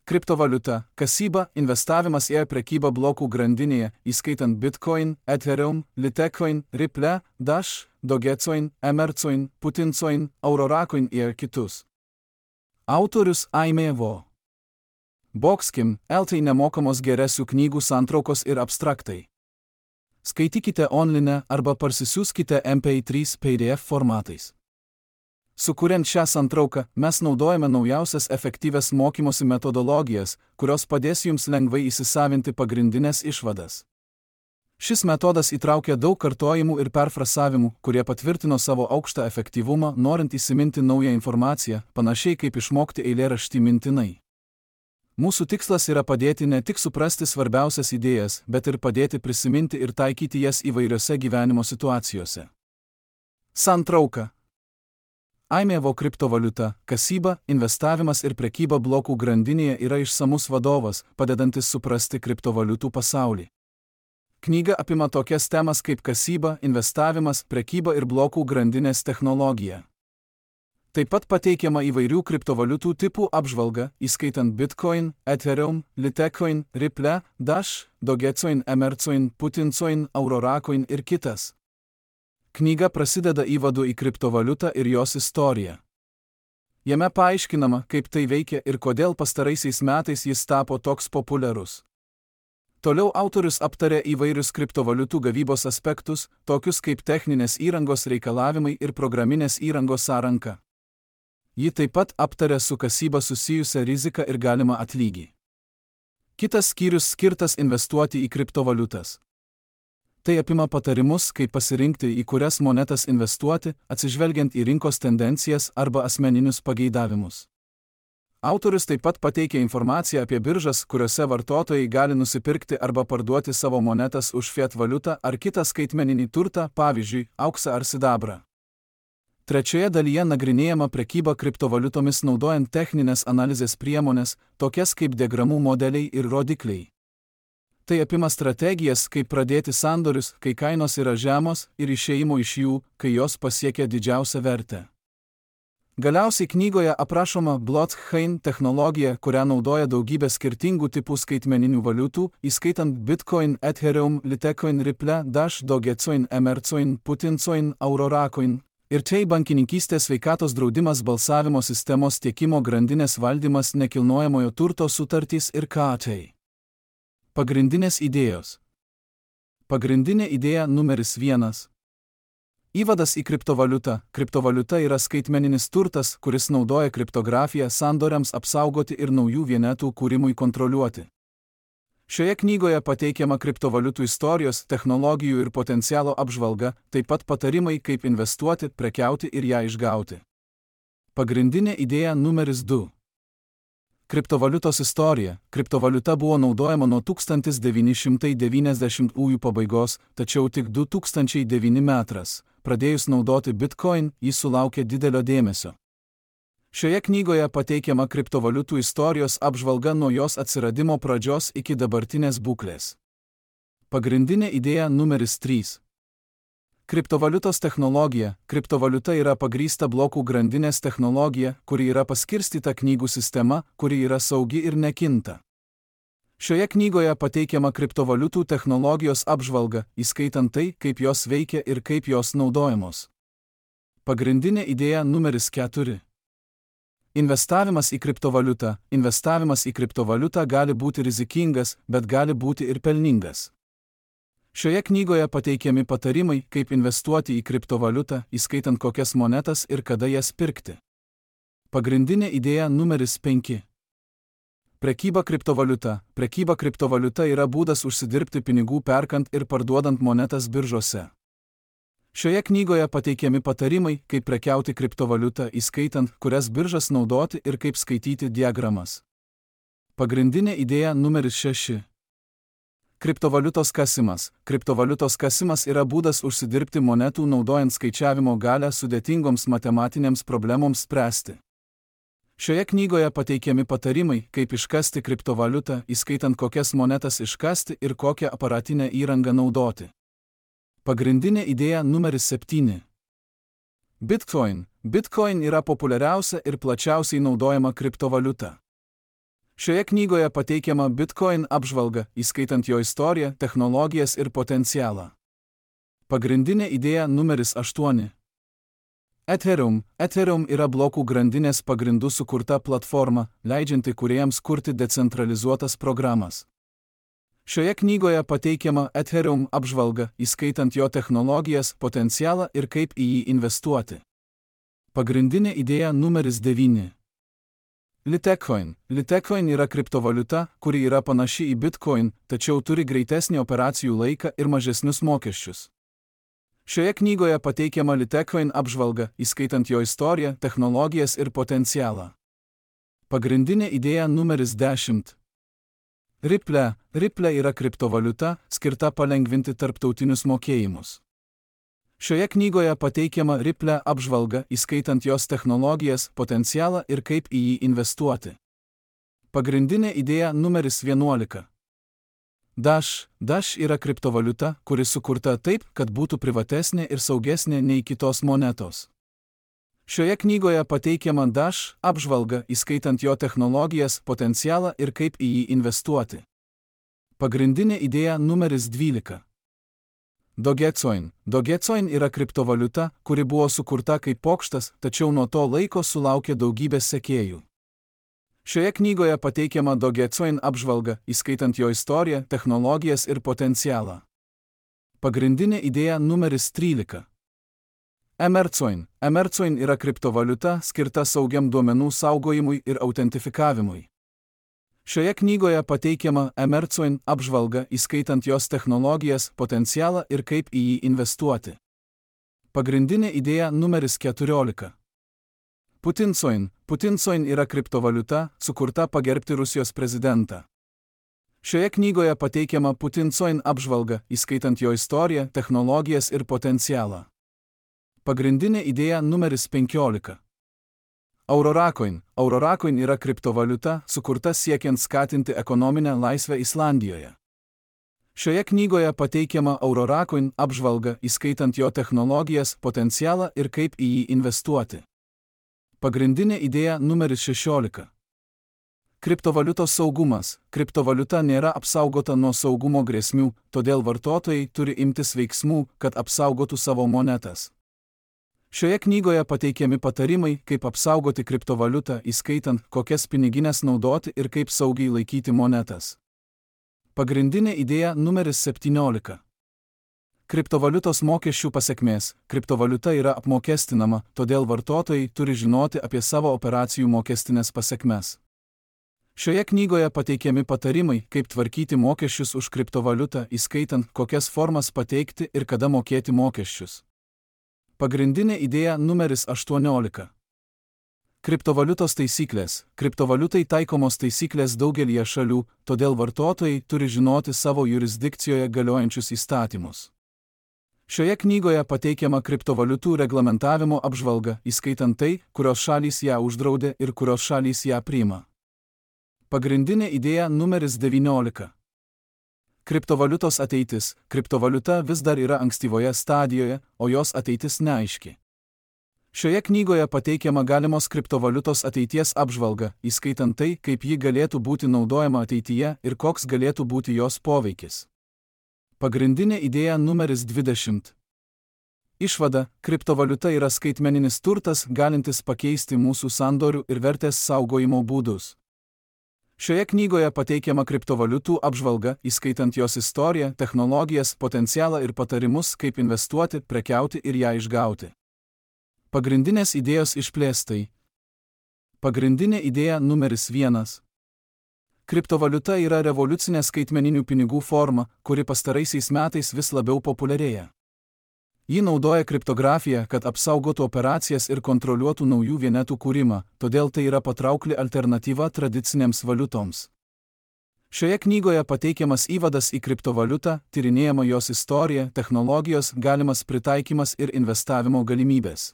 Kriptovaliuta, kasyba, investavimas į prekybą blokų grandinėje, įskaitant Bitcoin, Ethereum, Litecoin, Ripple, Dash, Dogecoin, Emercoin, Putincoin, Auroracoin ir kitus. Autorius Aimė Vo. Boxkim, LT nemokamos geresių knygų santraukos ir abstraktai. Skaitykite online arba parsisiųskite MP3 PDF formatais. Sukuriant šią santrauką, mes naudojame naujausias efektyvias mokymosi metodologijas, kurios padės jums lengvai įsisavinti pagrindinės išvadas. Šis metodas įtraukia daug kartojimų ir perfrasavimų, kurie patvirtino savo aukštą efektyvumą, norint įsiminti naują informaciją, panašiai kaip išmokti eilėraštį mintinai. Mūsų tikslas yra padėti ne tik suprasti svarbiausias idėjas, bet ir padėti prisiminti ir taikyti jas įvairiose gyvenimo situacijose. Santrauka. Aimė Vo kriptovaliuta, kasyba, investavimas ir prekyba blokų grandinėje yra išsamus vadovas, padedantis suprasti kriptovaliutų pasaulį. Knyga apima tokias temas kaip kasyba, investavimas, prekyba ir blokų grandinės technologija. Taip pat pateikiama įvairių kriptovaliutų tipų apžvalga, įskaitant Bitcoin, Ethereum, Litecoin, Ripple, Dash, Dogecoin, Emercoin, Putincoin, Auroracoin ir kitas. Knyga prasideda įvadu į kriptovaliutą ir jos istoriją. Jame paaiškinama, kaip tai veikia ir kodėl pastaraisiais metais jis tapo toks populiarus. Toliau autorius aptarė įvairius kriptovaliutų gavybos aspektus, tokius kaip techninės įrangos reikalavimai ir programinės įrangos sąranka. Ji taip pat aptarė su kasyba susijusią riziką ir galimą atlygį. Kitas skyrius skirtas investuoti į kriptovaliutas. Tai apima patarimus, kaip pasirinkti, į kurias monetas investuoti, atsižvelgiant į rinkos tendencijas arba asmeninius pageidavimus. Autorius taip pat pateikia informaciją apie biržas, kuriuose vartotojai gali nusipirkti arba parduoti savo monetas už fiat valiutą ar kitą skaitmeninį turtą, pavyzdžiui, auksą ar sidabrą. Trečioje dalyje nagrinėjama prekyba kriptovaliutomis naudojant techninės analizės priemonės, tokias kaip diagramų modeliai ir rodikliai. Tai apima strategijas, kaip pradėti sandorius, kai kainos yra žemos, ir išėjimo iš jų, kai jos pasiekia didžiausią vertę. Galiausiai knygoje aprašoma blockchain technologija, kurią naudoja daugybė skirtingų tipų skaitmeninių valiutų, įskaitant Bitcoin, Ethereum, Litecoin, Ripple, Dash, Dogecoin, Emercoin, Putincoin, Auroracoin. Ir tai bankininkystės, sveikatos draudimas, balsavimo sistemos, tiekimo grandinės valdymas, nekilnojamojo turto sutartys ir KT. Pagrindinės idėjos. Pagrindinė idėja numeris 1. Įvadas į kriptovaliutą. Kriptovaliuta yra skaitmeninis turtas, kuris naudoja kriptografiją sandoriams apsaugoti ir naujų vienetų kūrimui kontroliuoti. Šioje knygoje pateikiama kriptovaliutų istorijos, technologijų ir potencialo apžvalga, taip pat patarimai, kaip investuoti, prekiauti ir ją išgauti. Pagrindinė idėja numeris 2. Kriptovaliutos istorija. Kriptovaliuta buvo naudojama nuo 1990-ųjų pabaigos, tačiau tik 2009 metais, pradėjus naudoti Bitcoin, jis sulaukė didelio dėmesio. Šioje knygoje pateikiama kriptovaliutų istorijos apžvalga nuo jos atsiradimo pradžios iki dabartinės būklės. Pagrindinė idėja numeris 3. Kriptovaliutos technologija. Kriptovaliuta yra pagrįsta blokų grandinės technologija, kuri yra paskirstyta knygų sistema, kuri yra saugi ir nekinta. Šioje knygoje pateikiama kriptovaliutų technologijos apžvalga, įskaitant tai, kaip jos veikia ir kaip jos naudojamos. Pagrindinė idėja numeris 4. Investavimas į kriptovaliutą. Investavimas į kriptovaliutą gali būti rizikingas, bet gali būti ir pelningas. Šioje knygoje pateikiami patarimai, kaip investuoti į kriptovaliutą, įskaitant kokias monetas ir kada jas pirkti. Pagrindinė idėja numeris 5. Prekyba kriptovaliuta. Prekyba kriptovaliuta yra būdas užsidirbti pinigų perkant ir parduodant monetas biržose. Šioje knygoje pateikiami patarimai, kaip prekiauti kriptovaliutą, įskaitant, kurias biržas naudoti ir kaip skaityti diagramas. Pagrindinė idėja numeris 6. Kriptovaliutos kasimas. Kriptovaliutos kasimas yra būdas užsidirbti monetų naudojant skaičiavimo galią sudėtingoms matematinėms problemoms spręsti. Šioje knygoje pateikiami patarimai, kaip iškasti kriptovaliutą, įskaitant kokias monetas iškasti ir kokią aparatinę įrangą naudoti. Pagrindinė idėja numeris 7. Bitcoin. Bitcoin yra populiariausia ir plačiausiai naudojama kriptovaliuta. Šioje knygoje pateikiama Bitcoin apžvalga, įskaitant jo istoriją, technologijas ir potencialą. Pagrindinė idėja numeris 8. Ethereum. Ethereum yra blokų grandinės pagrindų sukurta platforma, leidžianti kūrėjams kurti decentralizuotas programas. Šioje knygoje pateikiama Ethereum apžvalga, įskaitant jo technologijas, potencialą ir kaip į jį investuoti. Pagrindinė idėja numeris 9. Litecoin. Litecoin yra kriptovaliuta, kuri yra panaši į Bitcoin, tačiau turi greitesnį operacijų laiką ir mažesnius mokesčius. Šioje knygoje pateikiama Litecoin apžvalga, įskaitant jo istoriją, technologijas ir potencialą. Pagrindinė idėja numeris 10. Ripple. Ripple yra kriptovaliuta, skirta palengvinti tarptautinius mokėjimus. Šioje knygoje pateikiama Ripple apžvalga, įskaitant jos technologijas, potencialą ir kaip į jį investuoti. Pagrindinė idėja numeris 11. Dash. Dash yra kriptovaliuta, kuri sukurta taip, kad būtų privatesnė ir saugesnė nei kitos monetos. Šioje knygoje pateikiama Dash apžvalga, įskaitant jo technologijas, potencialą ir kaip į jį investuoti. Pagrindinė idėja numeris 12. Dogecoin. Dogecoin yra kriptovaliuta, kuri buvo sukurta kaip pokštas, tačiau nuo to laiko sulaukė daugybės sekėjų. Šioje knygoje pateikiama Dogecoin apžvalga, įskaitant jo istoriją, technologijas ir potencialą. Pagrindinė idėja numeris 13. Emercoin. Emercoin yra kriptovaliuta, skirta saugiam duomenų saugojimui ir autentifikavimui. Šioje knygoje pateikiama Emercoin apžvalga, įskaitant jos technologijas, potencialą ir kaip į jį investuoti. Pagrindinė idėja numeris 14. Putincoin. Putincoin yra kriptovaliuta, sukurta pagerbti Rusijos prezidentą. Šioje knygoje pateikiama Putincoin apžvalga, įskaitant jo istoriją, technologijas ir potencialą. Pagrindinė idėja numeris 15. Auroracoin. Auroracoin yra kriptovaliuta, sukurta siekiant skatinti ekonominę laisvę Islandijoje. Šioje knygoje pateikiama Auroracoin apžvalga, įskaitant jo technologijas, potencialą ir kaip į jį investuoti. Pagrindinė idėja numeris 16. Kriptovaliutos saugumas. Kriptovaliuta nėra apsaugota nuo saugumo grėsmių, todėl vartotojai turi imtis veiksmų, kad apsaugotų savo monetas. Šioje knygoje pateikiami patarimai, kaip apsaugoti kriptovaliutą, įskaitant, kokias pinigines naudoti ir kaip saugiai laikyti monetas. Pagrindinė idėja numeris 17. Kriptovaliutos mokesčių pasekmės. Kriptovaliuta yra apmokestinama, todėl vartotojai turi žinoti apie savo operacijų mokestinės pasekmes. Šioje knygoje pateikiami patarimai, kaip tvarkyti mokesčius už kriptovaliutą, įskaitant, kokias formas pateikti ir kada mokėti mokesčius. Pagrindinė idėja numeris 18. Kriptovaliutos taisyklės. Kriptovaliutai taikomos taisyklės daugelyje šalių, todėl vartotojai turi žinoti savo jurisdikcijoje galiojančius įstatymus. Šioje knygoje pateikiama kriptovaliutų reglamentavimo apžvalga, įskaitant tai, kurios šalys ją uždraudė ir kurios šalys ją priima. Pagrindinė idėja numeris 19. Kriptovaliutos ateitis. Kriptovaliuta vis dar yra ankstyvoje stadijoje, o jos ateitis neaiški. Šioje knygoje pateikiama galimos kriptovaliutos ateities apžvalga, įskaitant tai, kaip ji galėtų būti naudojama ateityje ir koks galėtų būti jos poveikis. Pagrindinė idėja numeris 20. Išvada. Kriptovaliuta yra skaitmeninis turtas, galintis pakeisti mūsų sandorių ir vertės saugojimo būdus. Šioje knygoje pateikiama kriptovaliutų apžvalga, įskaitant jos istoriją, technologijas, potencialą ir patarimus, kaip investuoti, prekiauti ir ją išgauti. Pagrindinės idėjos išplėstai. Pagrindinė idėja numeris 1. Kriptovaliuta yra revoliucinė skaitmeninių pinigų forma, kuri pastaraisiais metais vis labiau populiarėja. Ji naudoja kriptografiją, kad apsaugotų operacijas ir kontroliuotų naujų vienetų kūrimą, todėl tai yra patraukli alternatyva tradicinėms valiutoms. Šioje knygoje pateikiamas įvadas į kriptovaliutą, tyrinėjama jos istorija, technologijos, galimas pritaikymas ir investavimo galimybės.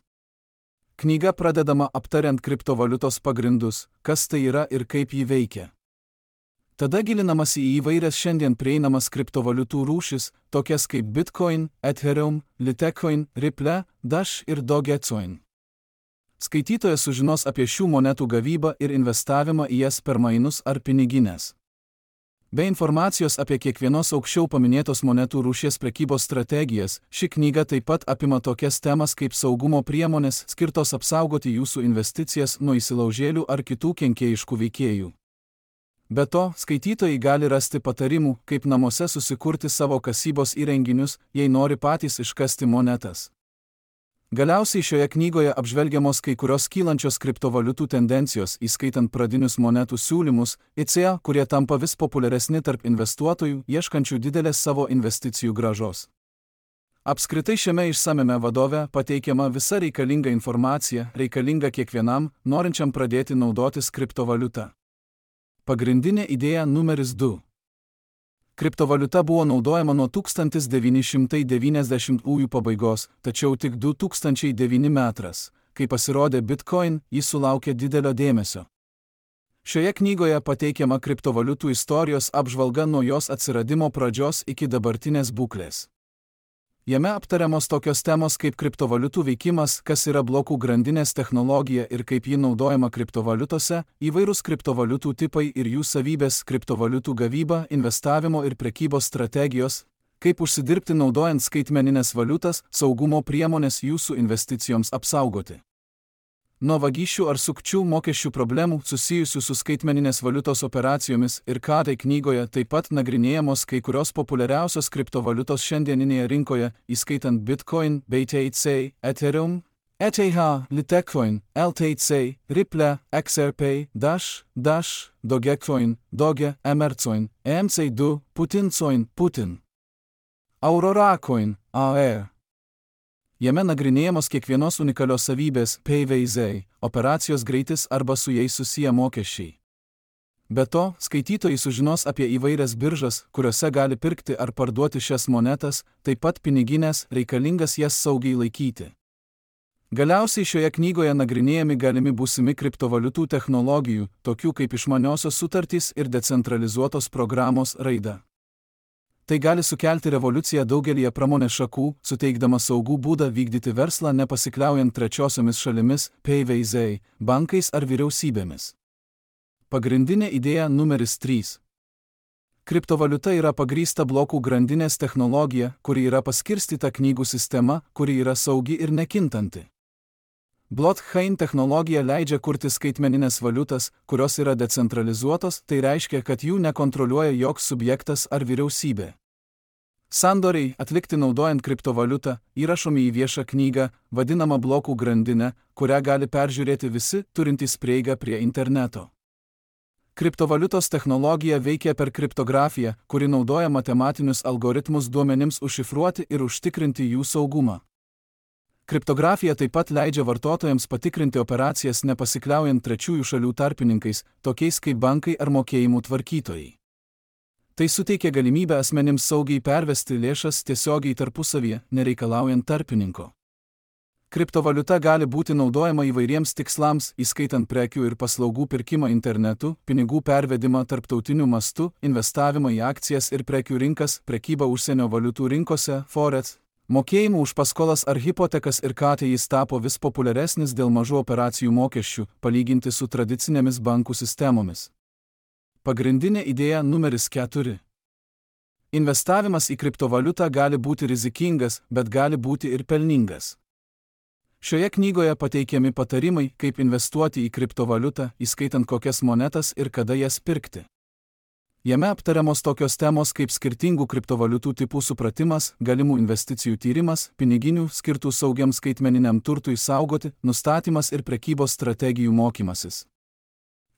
Knyga pradedama aptariant kriptovaliutos pagrindus, kas tai yra ir kaip ji veikia. Tada gilinamasi į įvairias šiandien prieinamas kriptovaliutų rūšis, tokias kaip Bitcoin, Ethereum, Litecoin, Ripple, Dash ir Dogecoin. Skaitytojas sužinos apie šių monetų gavybą ir investavimą į jas per mainus ar pinigines. Be informacijos apie kiekvienos aukščiau paminėtos monetų rūšies prekybos strategijas, ši knyga taip pat apima tokias temas kaip saugumo priemonės skirtos apsaugoti jūsų investicijas nuo įsilaužėlių ar kitų kenkėjiškų veikėjų. Be to, skaitytojai gali rasti patarimų, kaip namuose susikurti savo kasybos įrenginius, jei nori patys iškasti monetas. Galiausiai šioje knygoje apžvelgiamos kai kurios kylančios kriptovaliutų tendencijos, įskaitant pradinius monetų siūlymus, kurie tampa vis populiaresni tarp investuotojų, ieškančių didelės savo investicijų grąžos. Apskritai šiame išsamiame vadove pateikiama visa reikalinga informacija, reikalinga kiekvienam, norinčiam pradėti naudotis kriptovaliuta. Pagrindinė idėja numeris 2. Kriptovaliuta buvo naudojama nuo 1990-ųjų pabaigos, tačiau tik 2009 metais, kai pasirodė Bitcoin, jis sulaukė didelio dėmesio. Šioje knygoje pateikiama kriptovaliutų istorijos apžvalga nuo jos atsiradimo pradžios iki dabartinės būklės. Jame aptariamos tokios temos kaip kriptovaliutų veikimas, kas yra blokų grandinės technologija ir kaip ji naudojama kriptovaliutose, įvairūs kriptovaliutų tipai ir jų savybės, kriptovaliutų gavyba, investavimo ir prekybos strategijos, kaip užsidirbti naudojant skaitmeninės valiutas, saugumo priemonės jūsų investicijoms apsaugoti. Nuo vagysčių ar sukčių mokesčių problemų susijusių su skaitmeninės valiutos operacijomis ir tai knygoje taip pat nagrinėjamos kai kurios populiariausios kriptovaliutos šiandieninėje rinkoje, įskaitant Bitcoin, BTC, Ethereum, ETH, Litecoin, LTC, Ripple, XRP, Dash, Dogecoin, Doge, Emercoin, EMC2, Putin, Auroracoin, AER. Jame nagrinėjamos kiekvienos unikalios savybės, PVZ, operacijos greitis arba su jais susiję mokesčiai. Be to, skaitytojai sužinos apie įvairias biržas, kuriuose gali pirkti ar parduoti šias monetas, taip pat piniginės, reikalingas jas saugiai laikyti. Galiausiai šioje knygoje nagrinėjami galimi būsimi kriptovaliutų technologijų, tokių kaip išmaniosios sutartys ir decentralizuotos programos raida. Tai gali sukelti revoliuciją daugelyje pramonės šakų, suteikdama saugų būdą vykdyti verslą nepasikliaujant trečiosiomis šalimis, PVZ, bankais ar vyriausybėmis. Pagrindinė idėja numeris 3. Kriptovaliuta yra pagrįsta blokų grandinės technologija, kuri yra paskirstyta knygų sistema, kuri yra saugi ir nekintanti. Blockchain technologija leidžia kurti skaitmeninės valiutas, kurios yra decentralizuotos, tai reiškia, kad jų nekontroliuoja joks subjektas ar vyriausybė. Sandoriai, atlikti naudojant kriptovaliutą, įrašomi į viešą knygą, vadinamą blokų grandinę, kurią gali peržiūrėti visi, turintys prieigą prie interneto. Kriptovaliutos technologija veikia per kriptografiją, kuri naudoja matematinius algoritmus duomenims užšifruoti ir užtikrinti jų saugumą. Kriptografija taip pat leidžia vartotojams patikrinti operacijas nepasikliaujant trečiųjų šalių tarpininkais, tokiais kaip bankai ar mokėjimų tvarkytojai. Tai suteikia galimybę asmenims saugiai pervesti lėšas tiesiogiai tarpusavyje, nereikalaujant tarpininko. Kriptovaliuta gali būti naudojama įvairiems tikslams, įskaitant prekių ir paslaugų pirkimą internetu, pinigų pervedimą tarptautiniu mastu, investavimą į akcijas ir prekių rinkas, prekybą užsienio valiutų rinkose, forex, mokėjimų už paskolas ar hipotekas ir jis tapo vis populiaresnis dėl mažų operacijų mokesčių, palyginti su tradicinėmis bankų sistemomis. Pagrindinė idėja numeris 4. Investavimas į kriptovaliutą gali būti rizikingas, bet gali būti ir pelningas. Šioje knygoje pateikiami patarimai, kaip investuoti į kriptovaliutą, įskaitant kokias monetas ir kada jas pirkti. Jame aptariamos tokios temos kaip skirtingų kriptovaliutų tipų supratimas, galimų investicijų tyrimas, piniginių skirtų saugiam skaitmeniniam turtui saugoti, nustatymas ir prekybos strategijų mokymasis.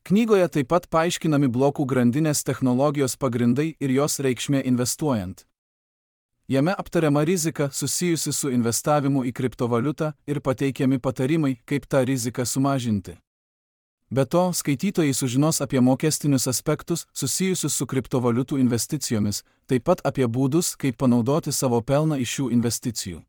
Knygoje taip pat paaiškinami blokų grandinės technologijos pagrindai ir jos reikšmė investuojant. Jame aptariama rizika susijusi su investavimu į kriptovaliutą ir pateikiami patarimai, kaip tą riziką sumažinti. Be to, skaitytojai sužinos apie mokestinius aspektus susijusius su kriptovaliutų investicijomis, taip pat apie būdus, kaip panaudoti savo pelną iš šių investicijų.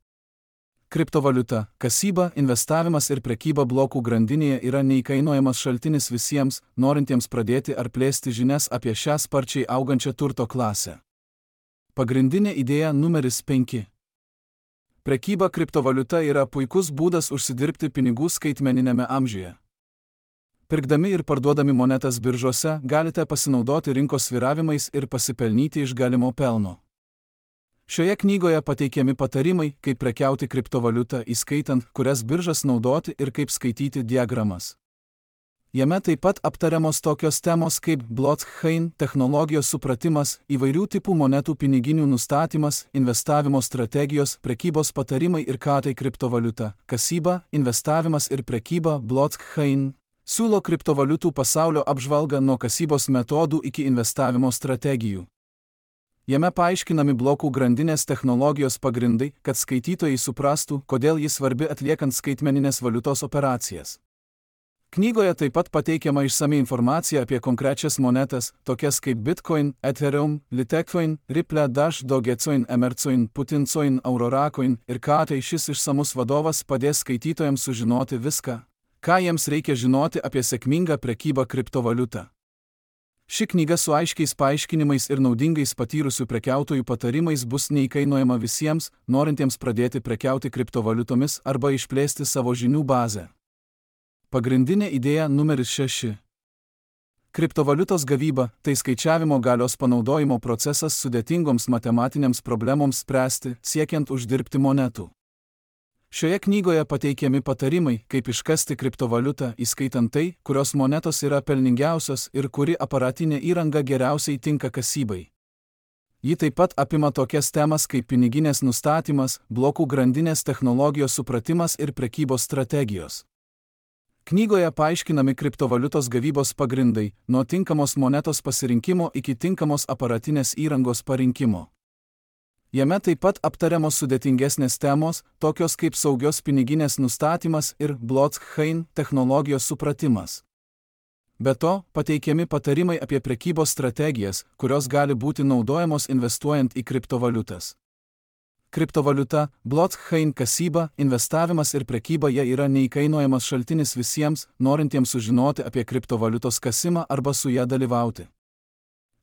Kriptovaliuta, kasyba, investavimas ir prekyba blokų grandinėje yra neįkainojamas šaltinis visiems, norintiems pradėti ar plėsti žinias apie šią sparčiai augančią turto klasę. Pagrindinė idėja numeris 5. Prekyba kriptovaliuta yra puikus būdas užsidirbti pinigų skaitmeninėme amžiuje. Pirkdami ir parduodami monetas biržose galite pasinaudoti rinkos svyravimais ir pasipelnyti iš galimo pelno. Šioje knygoje pateikiami patarimai, kaip prekiauti kriptovaliutą, įskaitant, kurias biržas naudoti ir kaip skaityti diagramas. Jame taip pat aptariamos tokios temos kaip blockchain, technologijos supratimas, įvairių tipų monetų piniginių nustatymas, investavimo strategijos, prekybos patarimai ir ką tai kriptovaliuta, kasyba, investavimas ir prekyba. Blockchain siūlo kriptovaliutų pasaulio apžvalgą nuo kasybos metodų iki investavimo strategijų. Jame paaiškinami blokų grandinės technologijos pagrindai, kad skaitytojai suprastų, kodėl jis svarbi atliekant skaitmeninės valiutos operacijas. Knygoje taip pat pateikiama išsami informacija apie konkrečias monetas, tokias kaip Bitcoin, Ethereum, Litecoin, Ripple, Dash, Dogecoin, Emercoin, Putincoin, Auroracoin ir ką tai šis išsamus vadovas padės skaitytojams sužinoti viską, ką jiems reikia žinoti apie sėkmingą prekybą kriptovaliutą. Ši knyga su aiškiais paaiškinimais ir naudingais patyrusių prekiautojų patarimais bus neįkainojama visiems, norintiems pradėti prekiauti kriptovaliutomis arba išplėsti savo žinių bazę. Pagrindinė idėja numeris 6. Kriptovaliutos gavyba – tai skaičiavimo galios panaudojimo procesas sudėtingoms matematinėms problemoms spręsti, siekiant uždirbti monetų. Šioje knygoje pateikiami patarimai, kaip iškasti kriptovaliutą, įskaitant tai, kurios monetos yra pelningiausios ir kuri aparatinė įranga geriausiai tinka kasybai. Ji taip pat apima tokias temas kaip piniginės nustatymas, blokų grandinės technologijos supratimas ir prekybos strategijos. Knygoje paaiškinami kriptovaliutos gavybos pagrindai, nuo tinkamos monetos pasirinkimo iki tinkamos aparatinės įrangos parinkimo. Jame taip pat aptariamos sudėtingesnės temos, tokios kaip saugios piniginės nustatymas ir blockchain technologijos supratimas. Be to, pateikiami patarimai apie prekybos strategijas, kurios gali būti naudojamos investuojant į kriptovaliutas. Kriptovaliuta, blockchain kasyba, investavimas ir prekyba jie yra neįkainojamas šaltinis visiems, norintiems sužinoti apie kriptovaliutos kasimą arba su ją dalyvauti.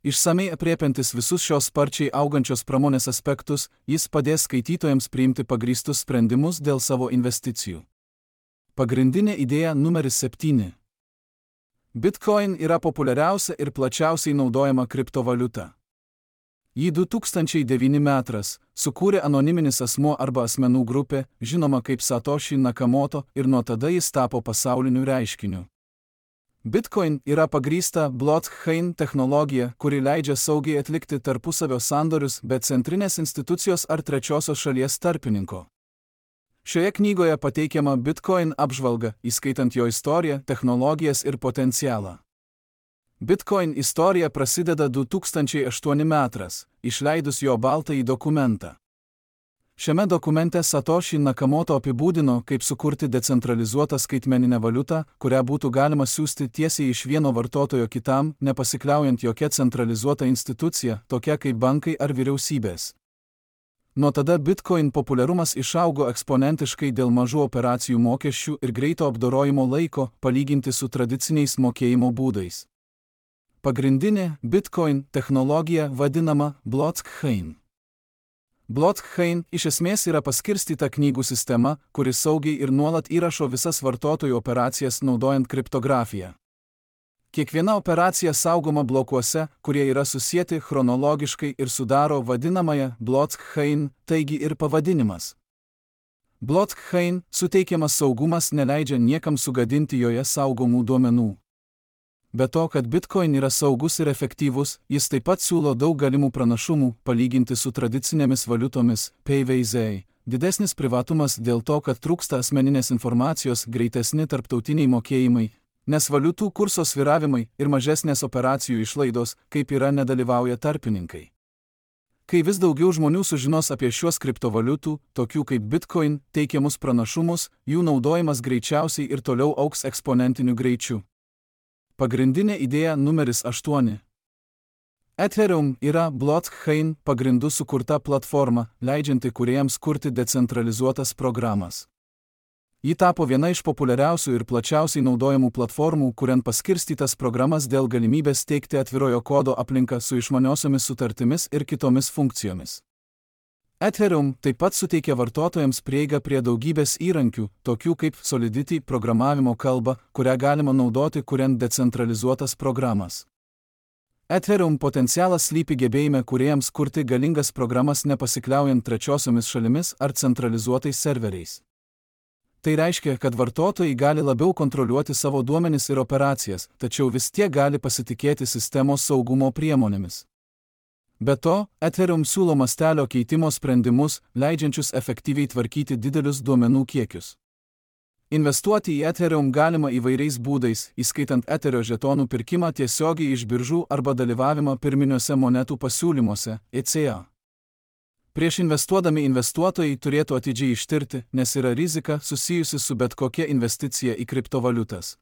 Išsamei aprėpiantis visus šios sparčiai augančios pramonės aspektus, jis padės skaitytojams priimti pagrįstus sprendimus dėl savo investicijų. Pagrindinė idėja numeris 7. Bitcoin yra populiariausia ir plačiausiai naudojama kriptovaliuta. Jį 2009 metais sukūrė anoniminis asmuo arba asmenų grupė, žinoma kaip Satoshi Nakamoto, ir nuo tada jis tapo pasauliniu reiškiniu. Bitcoin yra pagrįsta blockchain technologija, kuri leidžia saugiai atlikti tarpusavio sandorius be centrinės institucijos ar trečiosios šalies tarpininko. Šioje knygoje pateikiama Bitcoin apžvalga, įskaitant jo istoriją, technologijas ir potencialą. Bitcoin istorija prasideda 2008 metais, išleidus jo baltąjį dokumentą. Šiame dokumente Satoshi Nakamoto apibūdino, kaip sukurti decentralizuotą skaitmeninę valiutą, kurią būtų galima siųsti tiesiai iš vieno vartotojo kitam, nepasikliaujant jokia centralizuota institucija, tokia kaip bankai ar vyriausybės. Nuo tada Bitcoin populiarumas išaugo eksponentiškai dėl mažų operacijų mokesčių ir greito apdorojimo laiko, palyginti su tradiciniais mokėjimo būdais. Pagrindinė Bitcoin technologija vadinama blockchain. Blockchain iš esmės yra paskirstyta knygų sistema, kuri saugiai ir nuolat įrašo visas vartotojų operacijas naudojant kriptografiją. Kiekviena operacija saugoma blokuose, kurie yra susieti chronologiškai ir sudaro vadinamąją blockchain, taigi ir pavadinimas. Blockchain suteikiamas saugumas neleidžia niekam sugadinti joje saugomų duomenų. Be to, kad Bitcoin yra saugus ir efektyvus, jis taip pat siūlo daug galimų pranašumų, palyginti su tradicinėmis valiutomis, PVZ, didesnis privatumas dėl to, kad trūksta asmeninės informacijos, greitesni tarptautiniai mokėjimai, nes valiutų kurso svyravimai ir mažesnės operacijų išlaidos, kaip yra, nedalyvauja tarpininkai. Kai vis daugiau žmonių sužinos apie šiuos kriptovaliutų, tokių kaip Bitcoin, teikiamus pranašumus, jų naudojimas greičiausiai ir toliau augs eksponentiniu greičiu. Pagrindinė idėja numeris 8. Ethereum yra blockchain pagrindų sukurta platforma, leidžianti kūrėjams kurti decentralizuotas programas. Ji tapo viena iš populiariausių ir plačiausiai naudojamų platformų, kuriant paskirstytas programas dėl galimybės teikti atvirojo kodo aplinką su išmaniosiomis sutartimis ir kitomis funkcijomis. Ethereum taip pat suteikia vartotojams prieigą prie daugybės įrankių, tokių kaip Solidity programavimo kalba, kurią galima naudoti kuriant decentralizuotas programas. Ethereum potencialas slypi gebėjime kūrėjams kurti galingas programas nepasikliaujant trečiosiomis šalimis ar centralizuotais serveriais. Tai reiškia, kad vartotojai gali labiau kontroliuoti savo duomenis ir operacijas, tačiau vis tiek gali pasitikėti sistemos saugumo priemonėmis. Be to, Ethereum siūlo mastelio keitimo sprendimus, leidžiančius efektyviai tvarkyti didelius duomenų kiekius. Investuoti į Ethereum galima įvairiais būdais, įskaitant Ethereum žetonų pirkimą tiesiogiai iš biržų arba dalyvavimą pirminiuose monetų pasiūlymuose, ECA. Prieš investuodami investuotojai turėtų atidžiai ištirti, nes yra rizika susijusi su bet kokia investicija į kriptovaliutas.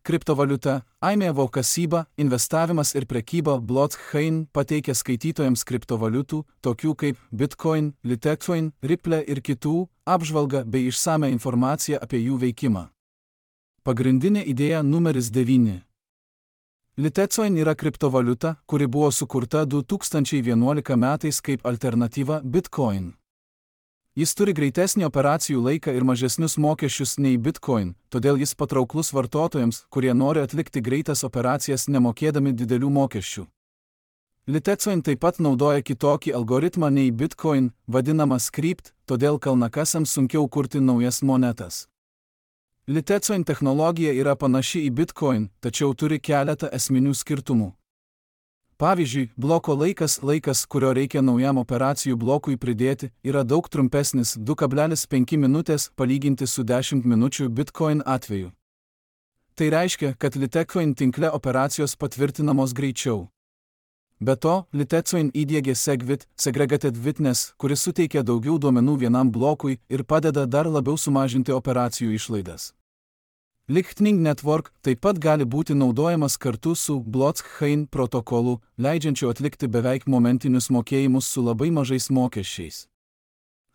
Kriptovaliuta, aimėvo kasyba, investavimas ir prekyba blockchain pateikia skaitytojams kriptovaliutų, tokių kaip Bitcoin, Litecoin, Ripple ir kitų, apžvalgą bei išsamią informaciją apie jų veikimą. Pagrindinė idėja numeris 9. Litecoin yra kriptovaliuta, kuri buvo sukurta 2011 metais kaip alternatyva Bitcoin. Jis turi greitesnį operacijų laiką ir mažesnius mokesčius nei Bitcoin, todėl jis patrauklus vartotojams, kurie nori atlikti greitas operacijas nemokėdami didelių mokesčių. Litecoin taip pat naudoja kitokį algoritmą nei Bitcoin, vadinamą Scrypt, todėl kalnakasiams sunkiau kurti naujas monetas. Litecoin technologija yra panaši į Bitcoin, tačiau turi keletą esminių skirtumų. Pavyzdžiui, bloko laikas, kurio reikia naujam operacijų blokui pridėti, yra daug trumpesnis 2,5 minutės palyginti su 10 minučių Bitcoin atveju. Tai reiškia, kad Litecoin tinkle operacijos patvirtinamos greičiau. Be to, Litecoin įdiegė SegWit, Segregated Witness, kuris suteikia daugiau duomenų vienam blokui ir padeda dar labiau sumažinti operacijų išlaidas. Lightning Network taip pat gali būti naudojamas kartu su blockchain protokolu, leidžiančiu atlikti beveik momentinius mokėjimus su labai mažais mokesčiais.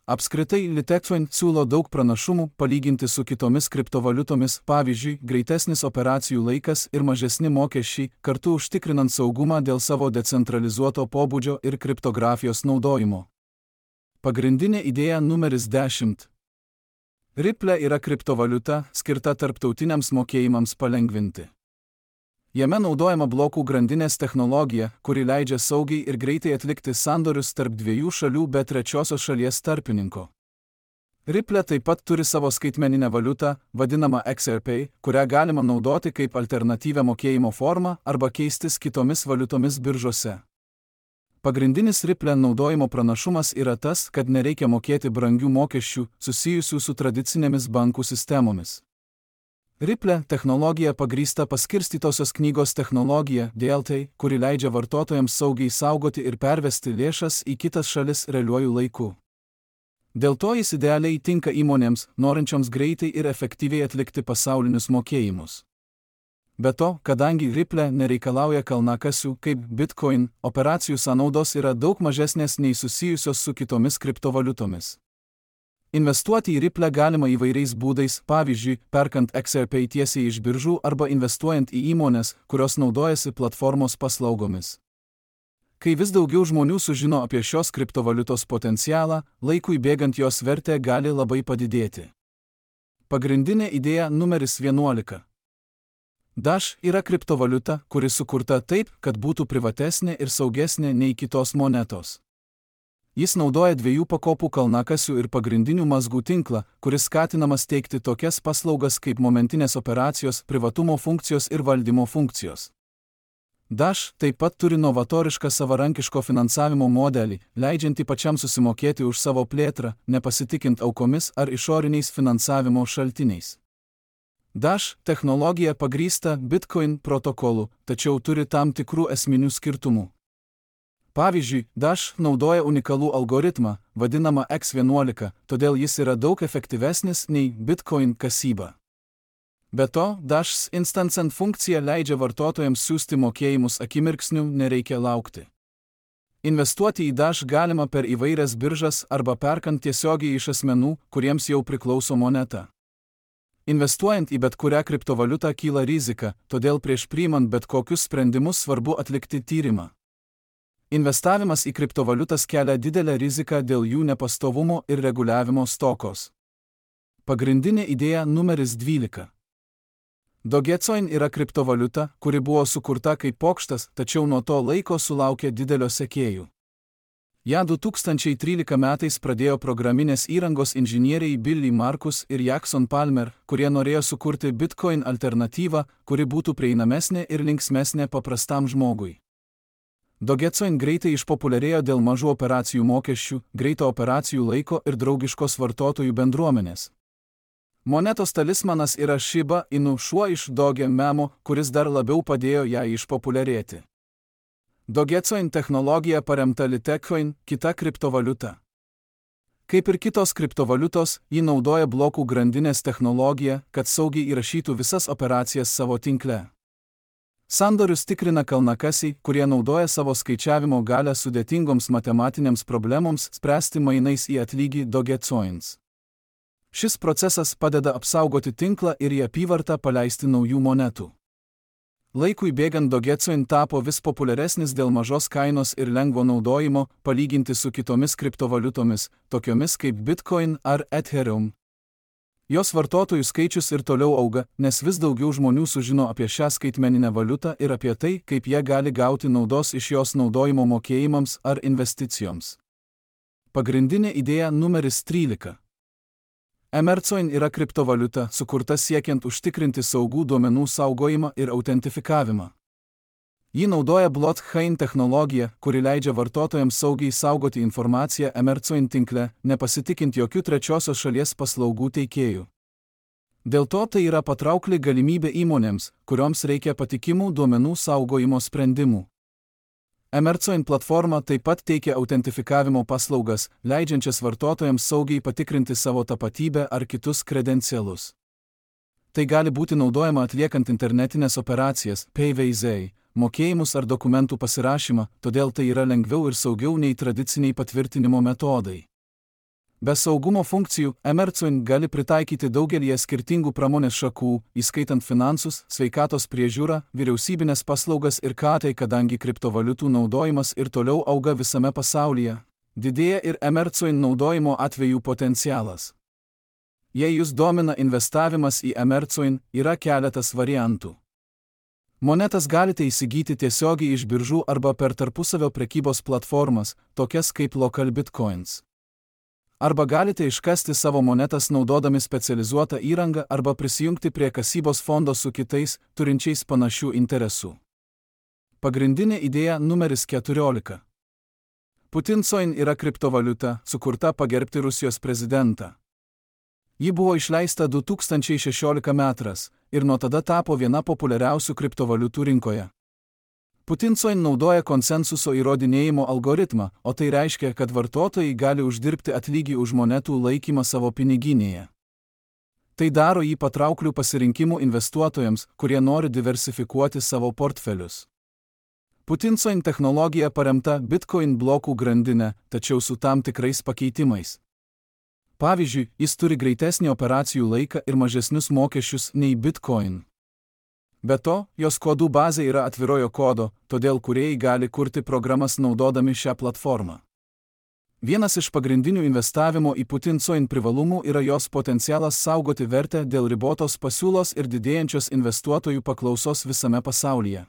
Apskritai, Litecoin siūlo daug pranašumų palyginti su kitomis kriptovaliutomis, pavyzdžiui, greitesnis operacijų laikas ir mažesni mokesčiai, kartu užtikrinant saugumą dėl savo decentralizuoto pobūdžio ir kriptografijos naudojimo. Pagrindinė idėja numeris 10. Ripple yra kriptovaliuta, skirta tarptautiniams mokėjimams palengvinti. Jame naudojama blokų grandinės technologija, kuri leidžia saugiai ir greitai atlikti sandorius tarp dviejų šalių be trečiosios šalies tarpininko. Ripple taip pat turi savo skaitmeninę valiutą, vadinamą XRP, kurią galima naudoti kaip alternatyvią mokėjimo formą arba keistis kitomis valiutomis biržose. Pagrindinis Ripple naudojimo pranašumas yra tas, kad nereikia mokėti brangių mokesčių susijusių su tradicinėmis bankų sistemomis. Ripple technologija pagrįsta paskirstytosios knygos technologija DLT, kuri leidžia vartotojams saugiai saugoti ir pervesti lėšas į kitas šalis realiuoju laiku. Dėl to jis idealiai tinka įmonėms, norinčioms greitai ir efektyviai atlikti pasaulinius mokėjimus. Be to, kadangi Ripple nereikalauja kalnakasių kaip Bitcoin, operacijų sąnaudos yra daug mažesnės nei susijusios su kitomis kriptovaliutomis. Investuoti į Ripple galima įvairiais būdais, pavyzdžiui, perkant XRP tiesiai iš biržų arba investuojant į įmones, kurios naudojasi platformos paslaugomis. Kai vis daugiau žmonių sužino apie šios kriptovaliutos potencialą, laikui bėgant jos vertė gali labai padidėti. Pagrindinė idėja numeris 11. Dash yra kriptovaliuta, kuri sukurta taip, kad būtų privatesnė ir saugesnė nei kitos monetos. Jis naudoja 2 pakopų kalnakasių ir pagrindinių mazgų tinklą, kuris skatinamas teikti tokias paslaugas kaip momentinės operacijos, privatumo funkcijos ir valdymo funkcijos. Dash taip pat turi novatorišką savarankiško finansavimo modelį, leidžiantį pačiam susimokėti už savo plėtrą, nepasitikint aukomis ar išoriniais finansavimo šaltiniais. Dash technologija pagrįsta Bitcoin protokolu, tačiau turi tam tikrų esminių skirtumų. Pavyzdžiui, Dash naudoja unikalų algoritmą, vadinamą X11, todėl jis yra daug efektyvesnis nei Bitcoin kasyba. Be to, Dash's Instant Send funkcija leidžia vartotojams siųsti mokėjimus akimirksniu, nereikia laukti. Investuoti į Dash galima per įvairias biržas arba perkant tiesiogiai iš asmenų, kuriems jau priklauso moneta. Investuojant į bet kurią kriptovaliutą kyla rizika, todėl prieš priimant bet kokius sprendimus svarbu atlikti tyrimą. Investavimas į kriptovaliutas kelia didelę riziką dėl jų nepastovumo ir reguliavimo stokos. Pagrindinė idėja numeris 12. Dogecoin yra kriptovaliuta, kuri buvo sukurta kaip pokštas, tačiau nuo to laiko sulaukė didelio sekėjų. Ja 2013 metais pradėjo programinės įrangos inžinieriai Billy Markus ir Jackson Palmer, kurie norėjo sukurti Bitcoin alternatyvą, kuri būtų prieinamesnė ir linksmesnė paprastam žmogui. Dogecoin greitai išpopuliarėjo dėl mažų operacijų mokesčių, greito operacijų laiko ir draugiškos vartotojų bendruomenės. Monetos talismanas yra Shiba Inu, šuo iš Doge memo, kuris dar labiau padėjo ją išpopuliarėti. Dogecoin technologija paremta Litecoin, kita kriptovaliuta. Kaip ir kitos kriptovaliutos, ji naudoja blokų grandinės technologiją, kad saugiai įrašytų visas operacijas savo tinkle. Sandorius tikrina kalnakasiai, kurie naudoja savo skaičiavimo galią sudėtingoms matematinėms problemoms spręsti mainais į atlygį Dogecoins. Šis procesas padeda apsaugoti tinklą ir į apyvartą paleisti naujų monetų. Laikui bėgant Dogecoin tapo vis populiaresnis dėl mažos kainos ir lengvo naudojimo, palyginti su kitomis kriptovaliutomis, tokiomis kaip Bitcoin ar Ethereum. Jos vartotojų skaičius ir toliau auga, nes vis daugiau žmonių sužino apie šią skaitmeninę valiutą ir apie tai, kaip jie gali gauti naudos iš jos naudojimo mokėjimams ar investicijoms. Pagrindinė idėja numeris 13. Emercoin yra kriptovaliuta, sukurta siekiant užtikrinti saugų duomenų saugojimą ir autentifikavimą. Ji naudoja blockchain technologiją, kuri leidžia vartotojams saugiai saugoti informaciją Emercoin tinkle, nepasitikint jokių trečiosios šalies paslaugų teikėjų. Dėl to tai yra patraukli galimybė įmonėms, kurioms reikia patikimų duomenų saugojimo sprendimų. Emercoin platforma taip pat teikia autentifikavimo paslaugas, leidžiančias vartotojams saugiai patikrinti savo tapatybę ar kitus kredencialus. Tai gali būti naudojama atliekant internetinės operacijas, PayVZ, mokėjimus ar dokumentų pasirašymą, todėl tai yra lengviau ir saugiau nei tradiciniai patvirtinimo metodai. Be saugumo funkcijų, Emercoin gali pritaikyti daugelį skirtingų pramonės šakų, įskaitant finansus, sveikatos priežiūrą, vyriausybinės paslaugas ir KT, kadangi kriptovaliutų naudojimas ir toliau auga visame pasaulyje. Didėja ir Emercoin naudojimo atvejų potencialas. Jei jūs domina investavimas į Emercoin, yra keletas variantų. Monetas galite įsigyti tiesiogiai iš biržų arba per tarpusavio prekybos platformas, tokias kaip Local Bitcoins. Arba galite iškasti savo monetas naudodami specializuotą įrangą arba prisijungti prie kasybos fondo su kitais, turinčiais panašių interesų. Pagrindinė idėja numeris 14. Putincoin yra kriptovaliuta, sukurta pagerbti Rusijos prezidentą. Ji buvo išleista 2016 metais ir nuo tada tapo viena populiariausių kriptovaliutų rinkoje. Putincoin naudoja konsensuso įrodinėjimo algoritmą, o tai reiškia, kad vartotojai gali uždirbti atlygį už monetų laikymą savo piniginėje. Tai daro jį patrauklių pasirinkimų investuotojams, kurie nori diversifikuoti savo portfelius. Putincoin technologija paremta Bitcoin blokų grandinė, tačiau su tam tikrais pakeitimais. Pavyzdžiui, jis turi greitesnį operacijų laiką ir mažesnius mokesčius nei Bitcoin. Be to, jos kodų bazė yra atvirojo kodo, todėl kūrėjai gali kurti programas naudodami šią platformą. Vienas iš pagrindinių investavimo į Putincoin privalumų yra jos potencialas saugoti vertę dėl ribotos pasiūlos ir didėjančios investuotojų paklausos visame pasaulyje.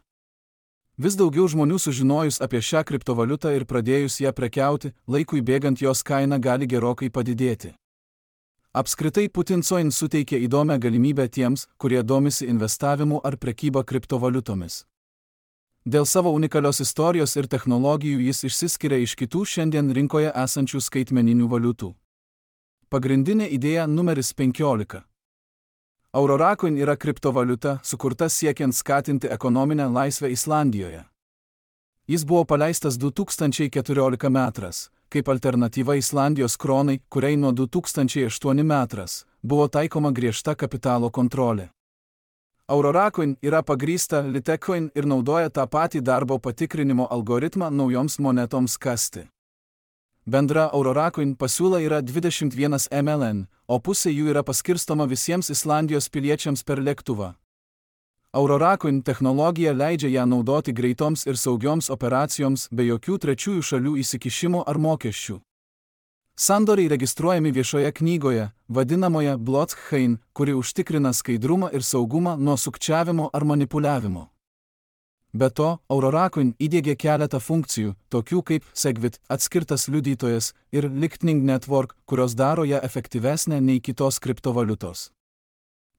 Vis daugiau žmonių sužinojus apie šią kriptovaliutą ir pradėjus ją prekiauti, laikui bėgant jos kaina gali gerokai padidėti. Apskritai Putincoin suteikia įdomią galimybę tiems, kurie domisi investavimu ar prekyba kriptovaliutomis. Dėl savo unikalios istorijos ir technologijų jis išsiskiria iš kitų šiandien rinkoje esančių skaitmeninių valiutų. Pagrindinė idėja numeris 15. Auroracoin yra kriptovaliuta, sukurta siekiant skatinti ekonominę laisvę Islandijoje. Jis buvo paleistas 2014 metais, kaip alternatyva Islandijos kronai, kuriai nuo 2008 metais buvo taikoma griežta kapitalo kontrolė. Auroracoin yra pagrįsta Litecoin ir naudoja tą patį darbo patikrinimo algoritmą naujoms monetoms kasti. Bendra Auroracoin pasiūla yra 21 MLN, o pusė jų yra paskirstoma visiems Islandijos piliečiams per lėktuvą. Auroracoin technologija leidžia ją naudoti greitoms ir saugioms operacijoms be jokių trečiųjų šalių įsikišimo ar mokesčių. Sandoriai registruojami viešoje knygoje, vadinamoje blockchain, kuri užtikrina skaidrumą ir saugumą nuo sukčiavimo ar manipuliavimo. Be to, Auroracoin įdiegė keletą funkcijų, tokių kaip Segwit, atskirtas liudytojas, ir Lightning Network, kurios daro ją efektyvesnę nei kitos kriptovaliutos.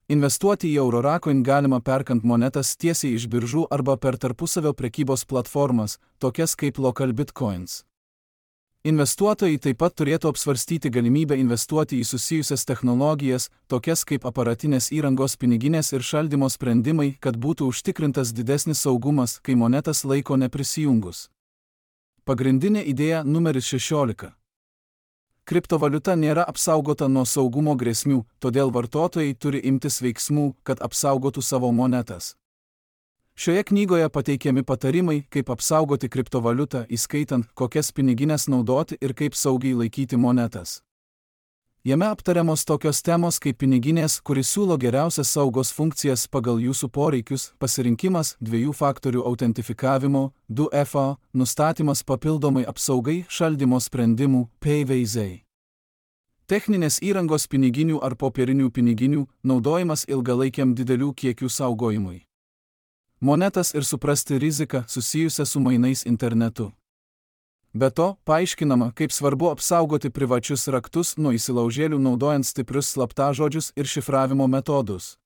Investuoti į Auroracoin galima perkant monetas tiesiai iš biržų arba per tarpusavio prekybos platformas, tokias kaip Local Bitcoins. Investuotojai taip pat turėtų apsvarstyti galimybę investuoti į susijusias technologijas, tokias kaip aparatinės įrangos piniginės ir šaldymo sprendimai, kad būtų užtikrintas didesnis saugumas, kai monetas laiko neprisijungus. Pagrindinė idėja numeris 16. Kriptovaliuta nėra apsaugota nuo saugumo grėsmių, todėl vartotojai turi imtis veiksmų, kad apsaugotų savo monetas. Šioje knygoje pateikiami patarimai, kaip apsaugoti kriptovaliutą, įskaitant, kokias piniginės naudoti ir kaip saugiai laikyti monetas. Jame aptariamos tokios temos kaip piniginės, kuri siūlo geriausias saugos funkcijas pagal jūsų poreikius, pasirinkimas, 2 faktorių autentifikavimo, 2FA, nustatymas papildomai apsaugai, šaldymo sprendimų, PayVaizai. Techninės įrangos piniginių ar popierinių piniginių, naudojimas ilgalaikiam didelių kiekių saugojimui. Monetas ir suprasti riziką susijusią su mainais internetu. Be to, paaiškinama, kaip svarbu apsaugoti privačius raktus nuo įsilaužėlių naudojant stiprius slaptažodžius ir šifravimo metodus.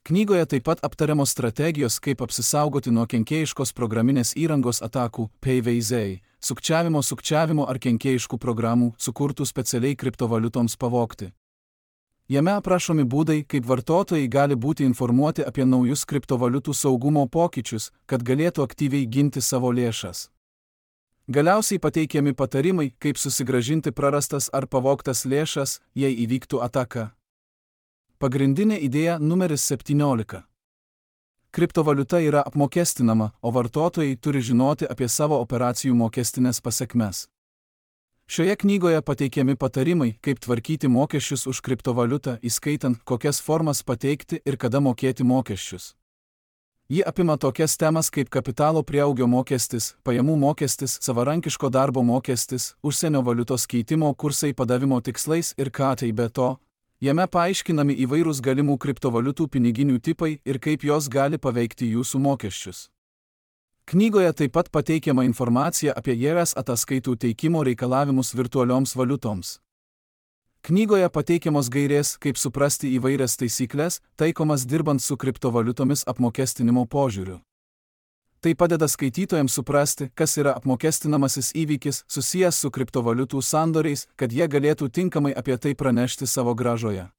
Knygoje taip pat aptariamos strategijos, kaip apsisaugoti nuo kenkėjiškos programinės įrangos atakų, PayVaizai, sukčiavimo ar kenkėjiškų programų, sukurtų specialiai kriptovaliutoms pavogti. Jame aprašomi būdai, kaip vartotojai gali būti informuoti apie naujus kriptovaliutų saugumo pokyčius, kad galėtų aktyviai ginti savo lėšas. Galiausiai pateikiami patarimai, kaip susigrąžinti prarastas ar pavogtas lėšas, jei įvyktų ataka. Pagrindinė idėja numeris 17. Kriptovaliuta yra apmokestinama, o vartotojai turi žinoti apie savo operacijų mokestinės pasekmes. Šioje knygoje pateikiami patarimai, kaip tvarkyti mokesčius už kriptovaliutą, įskaitant, kokias formas pateikti ir kada mokėti mokesčius. Ji apima tokias temas kaip kapitalo prieaugio mokestis, pajamų mokestis, savarankiško darbo mokestis, užsienio valiutos keitimo kursai padavimo tikslais ir ką tai be to. Jame paaiškinami įvairūs galimų kriptovaliutų piniginių tipai ir kaip jos gali paveikti jūsų mokesčius. Knygoje taip pat pateikiama informacija apie JRS ataskaitų teikimo reikalavimus virtualioms valiutoms. Knygoje pateikiamos gairės, kaip suprasti įvairias taisyklės, taikomas dirbant su kriptovaliutomis apmokestinimo požiūriu. Tai padeda skaitytojams suprasti, kas yra apmokestinamasis įvykis susijęs su kriptovaliutų sandoriais, kad jie galėtų tinkamai apie tai pranešti savo grąžoje.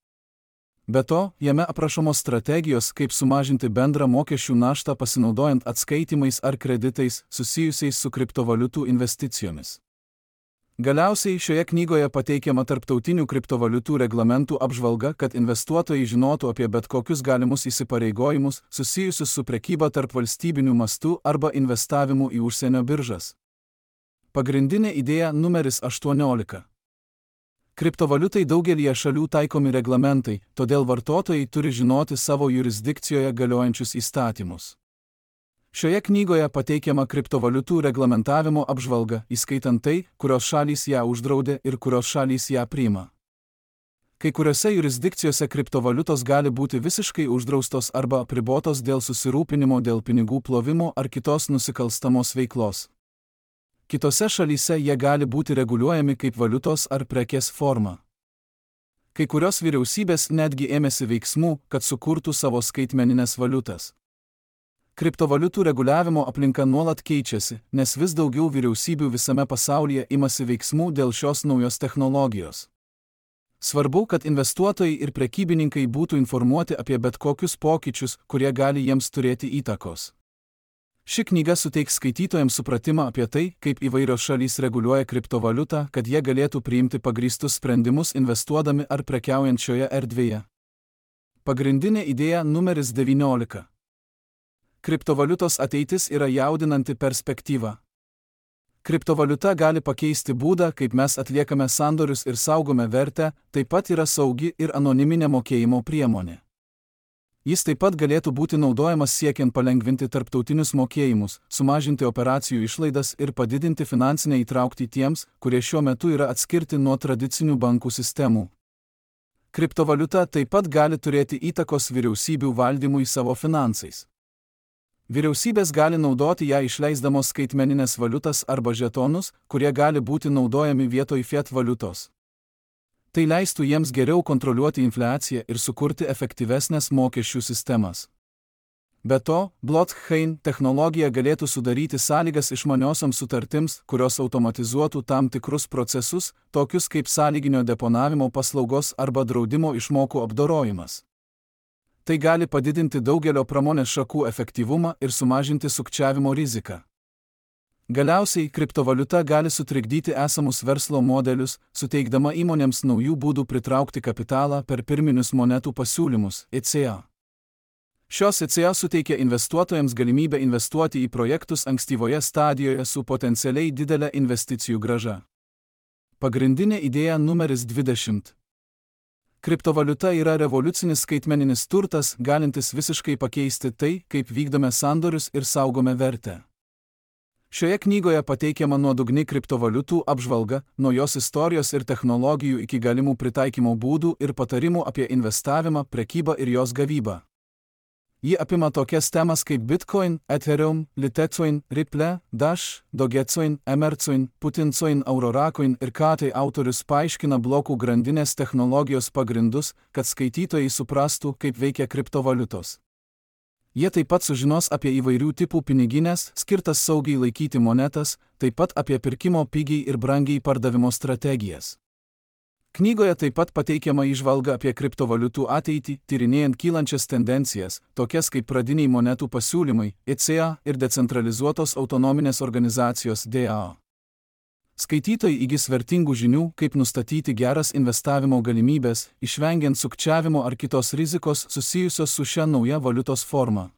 Be to, jame aprašomos strategijos, kaip sumažinti bendrą mokesčių naštą pasinaudojant atskaitimais ar kreditais susijusiais su kriptovaliutų investicijomis. Galiausiai šioje knygoje pateikiama tarptautinių kriptovaliutų reglamentų apžvalga, kad investuotojai žinotų apie bet kokius galimus įsipareigojimus susijusius su prekyba tarp valstybinių mastų arba investavimu į užsienio biržas. Pagrindinė idėja numeris 18. Kriptovaliutai daugelyje šalių taikomi reglamentai, todėl vartotojai turi žinoti savo jurisdikcijoje galiojančius įstatymus. Šioje knygoje pateikiama kriptovaliutų reglamentavimo apžvalga, įskaitant tai, kurios šalys ją uždraudė ir kurios šalys ją priima. Kai kuriuose jurisdikcijose kriptovaliutos gali būti visiškai uždraustos arba apribotos dėl susirūpinimo dėl pinigų plovimo ar kitos nusikalstamos veiklos. Kitose šalyse jie gali būti reguliuojami kaip valiutos ar prekės forma. Kai kurios vyriausybės netgi ėmėsi veiksmų, kad sukurtų savo skaitmenines valiutas. Kriptovaliutų reguliavimo aplinka nuolat keičiasi, nes vis daugiau vyriausybių visame pasaulyje imasi veiksmų dėl šios naujos technologijos. Svarbu, kad investuotojai ir prekybininkai būtų informuoti apie bet kokius pokyčius, kurie gali jiems turėti įtakos. Ši knyga suteiks skaitytojams supratimą apie tai, kaip įvairios šalys reguliuoja kriptovaliutą, kad jie galėtų priimti pagrįstus sprendimus investuodami ar prekiaujant šioje erdvėje. Pagrindinė idėja numeris 19. Kriptovaliutos ateitis yra jaudinanti perspektyva. Kriptovaliuta gali pakeisti būdą, kaip mes atliekame sandorius ir saugome vertę, taip pat yra saugi ir anoniminė mokėjimo priemonė. Jis taip pat galėtų būti naudojamas siekiant palengvinti tarptautinius mokėjimus, sumažinti operacijų išlaidas ir padidinti finansinę įtraukti tiems, kurie šiuo metu yra atskirti nuo tradicinių bankų sistemų. Kriptovaliuta taip pat gali turėti įtakos vyriausybių valdymui savo finansais. Vyriausybės gali naudoti ją išleisdamos skaitmeninės valiutas arba žetonus, kurie gali būti naudojami vietoj fiat valiutos. Tai leistų jiems geriau kontroliuoti infliaciją ir sukurti efektyvesnės mokesčių sistemas. Be to, blockchain technologija galėtų sudaryti sąlygas išmaniosioms sutartims, kurios automatizuotų tam tikrus procesus, tokius kaip sąlyginio deponavimo paslaugos arba draudimo išmokų apdorojimas. Tai gali padidinti daugelio pramonės šakų efektyvumą ir sumažinti sukčiavimo riziką. Galiausiai, kriptovaliuta gali sutrikdyti esamus verslo modelius, suteikdama įmonėms naujų būdų pritraukti kapitalą per pirminius monetų pasiūlymus (ECA). Šios ECA suteikia investuotojams galimybę investuoti į projektus ankstyvoje stadijoje su potencialiai didelė investicijų grąža. Pagrindinė idėja numeris 20. Kriptovaliuta yra revoliucinis skaitmeninis turtas, galintis visiškai pakeisti tai, kaip vykdome sandorius ir saugome vertę. Šioje knygoje pateikiama nuodugni kriptovaliutų apžvalga, nuo jos istorijos ir technologijų iki galimų pritaikymo būdų ir patarimų apie investavimą, prekybą ir jos gavybą. Ji apima tokias temas kaip Bitcoin, Ethereum, Litecoin, Ripple, Dash, Dogecoin, Emercoin, Putincoin, Auroracoin ir tai autorius paaiškina blokų grandinės technologijos pagrindus, kad skaitytojai suprastų, kaip veikia kriptovaliutos. Jie taip pat sužinos apie įvairių tipų piniginės, skirtas saugiai laikyti monetas, taip pat apie pirkimo pigiai ir brangiai pardavimo strategijas. Knygoje taip pat pateikiama įžvalga apie kriptovaliutų ateitį, tyrinėjant kylančias tendencijas, tokias kaip pradiniai monetų pasiūlymai, ECA ir decentralizuotos autonominės organizacijos DAO. Skaitytojai įgis vertingų žinių, kaip nustatyti geras investavimo galimybės, išvengiant sukčiavimo ar kitos rizikos susijusios su šia nauja valiutos forma.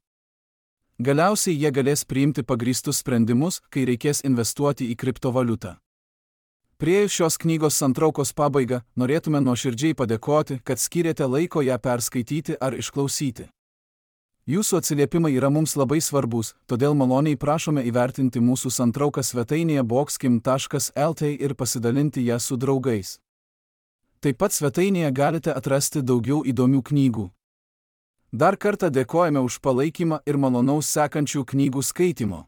Galiausiai jie galės priimti pagrįstus sprendimus, kai reikės investuoti į kriptovaliutą. Priėjus šios knygos santraukos pabaigą, norėtume nuoširdžiai padėkoti, kad skyrėte laiko ją perskaityti ar išklausyti. Jūsų atsiliepimai yra mums labai svarbus, todėl maloniai prašome įvertinti mūsų santrauką svetainėje boxkim.lt ir pasidalinti ją su draugais. Taip pat svetainėje galite atrasti daugiau įdomių knygų. Dar kartą dėkojame už palaikymą ir malonaus sekančių knygų skaitymo.